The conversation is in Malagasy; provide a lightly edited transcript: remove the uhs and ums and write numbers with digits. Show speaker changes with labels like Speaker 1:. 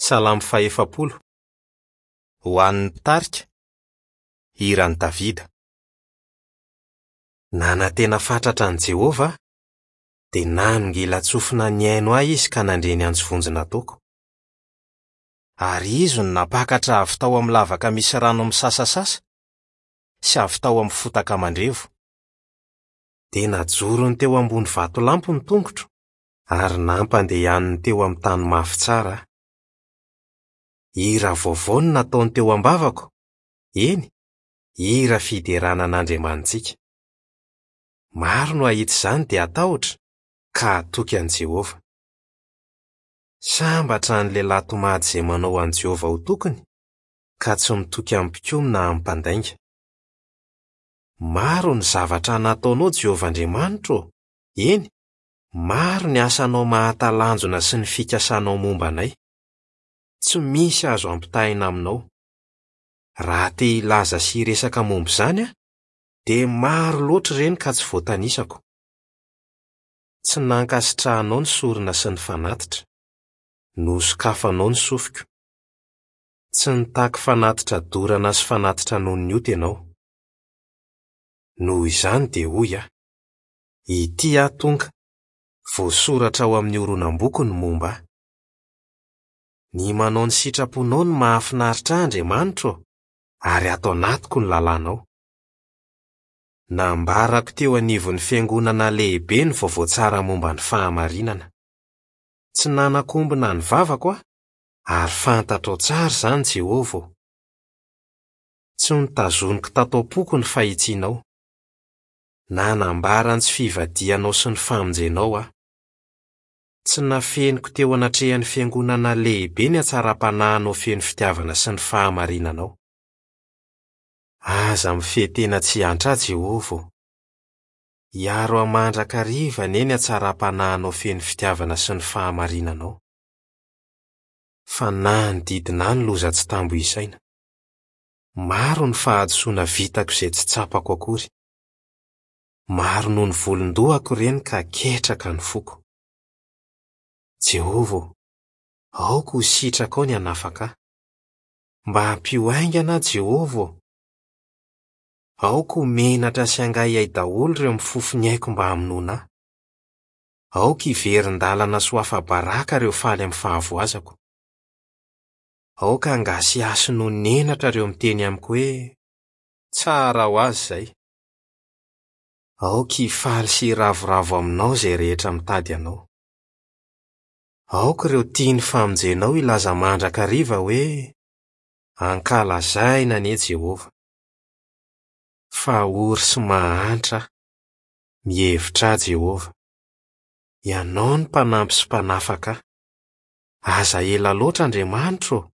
Speaker 1: Salamo fahefapolo. Ho an'ny mpitarika. Hiran'i Davida. Nanantena fatratra an'i Jehovah aho, dia nanongilan-tsofina nihaino ahy izy ka nandre ny antso vonjy nataoko. Ary izy no nampakatra avy tao amin'ny lavaka misy rano misasasasa sy avy tao amin'ny fotaka mandrevo. Dia najorony teo ambony vatolampy ny tongotro ary nampandehaniny teo amin'ny tany mafy tsara aho. Hira vaovao no nataony teo am-bavako, eny, hira fiderana an'Andriamanitsika. Maro no hahita izany dia hatahotra ka hatoky an'i Jehovah. Sambatra ny lehilahy tomady izay manao an'i Jehovah ho tokiny, ka tsy mitoky amin'ny mpikomy na amin'ny mpandainga. Maro ny zavatra nataonao, Jehovah Andriamanitro ô, eny, maro ny asanao mahatalanjona sy ny fikasanao momba anay. Tsy misy azo ampitahaina aminao. Raha te hilaza sy hiresaka momba izany aho, dia maro loatra ireny ka tsy voatanisako. Tsy nankasitrahanao ny sorona sy ny fanatitra. Nosokafanao ny sofiko. Tsy nitaky fanatitra dorana sy fanatitra noho ny ota ianao. Noho izany dia hoy aho, Ity aho tonga, voasoratra ao amin'ny horonam-boky ny momba ahy. Ny manao ny sitraponao no mahafinaritra ahy, Andriamanitro ô, ary ato anatiko ny lalànao. Nambarako teo anivon'ny fiangonana lehibe ny vaovao tsara momba ny fahamarinana. Tsy nanakombona ny vavako aho, ary fantatrao tsara izany, Jehovah ô. Tsy notazoniko tato am-poko ny fahitsianao. Nanambara ny tsy fivadihanao sy ny famonjenao aho. Tsy nafeniko teo anatrehan'ny fiangonana lehibe ny hatsaram-panahinao feno fitiavana sy ny fahamarinanao. Aza mifehy tena tsy hiantra ahy, Jehovah ô. Hiaro ahy mandrakariva anie ny hatsaram-panahinao feno fitiavana sy ny fahamarinanao. Fa nanodidina ahy ny loza tsy tambo isaina. Maro ny fahadisoana vitako izay tsy tsapako akory. Maro noho ny volon-dohako ireny ka ketraka ny foko. Jehovah ô, aoka ho sitrakao ny hanafaka ahy. Mba ampio haingana aho, Jehovah ô! Aoka ho menatra sy hangaihay daholo ireo mifofo ny aiko mba hamonoana ahy. Aoka hiverin-dalana sy ho afa-baraka ireo faly amin'ny fahavoazako. Aoka hangasihasy noho ny henatra ireo miteny amiko hoe, Tsara ho azy izay. Aoka hifaly sy hiravoravo aminao izay rehetra mitady anao. Aoka ireo tia ny famonjenao hilaza mandrakariva hoe, Ankalazaina anie Jehovah! Fa ory sy mahantra aho. Mihevitra ahy Jehovah. Ianao no mpanampy sy mpanafaka ahy. Aza ela loatra, Andriamanitro ô!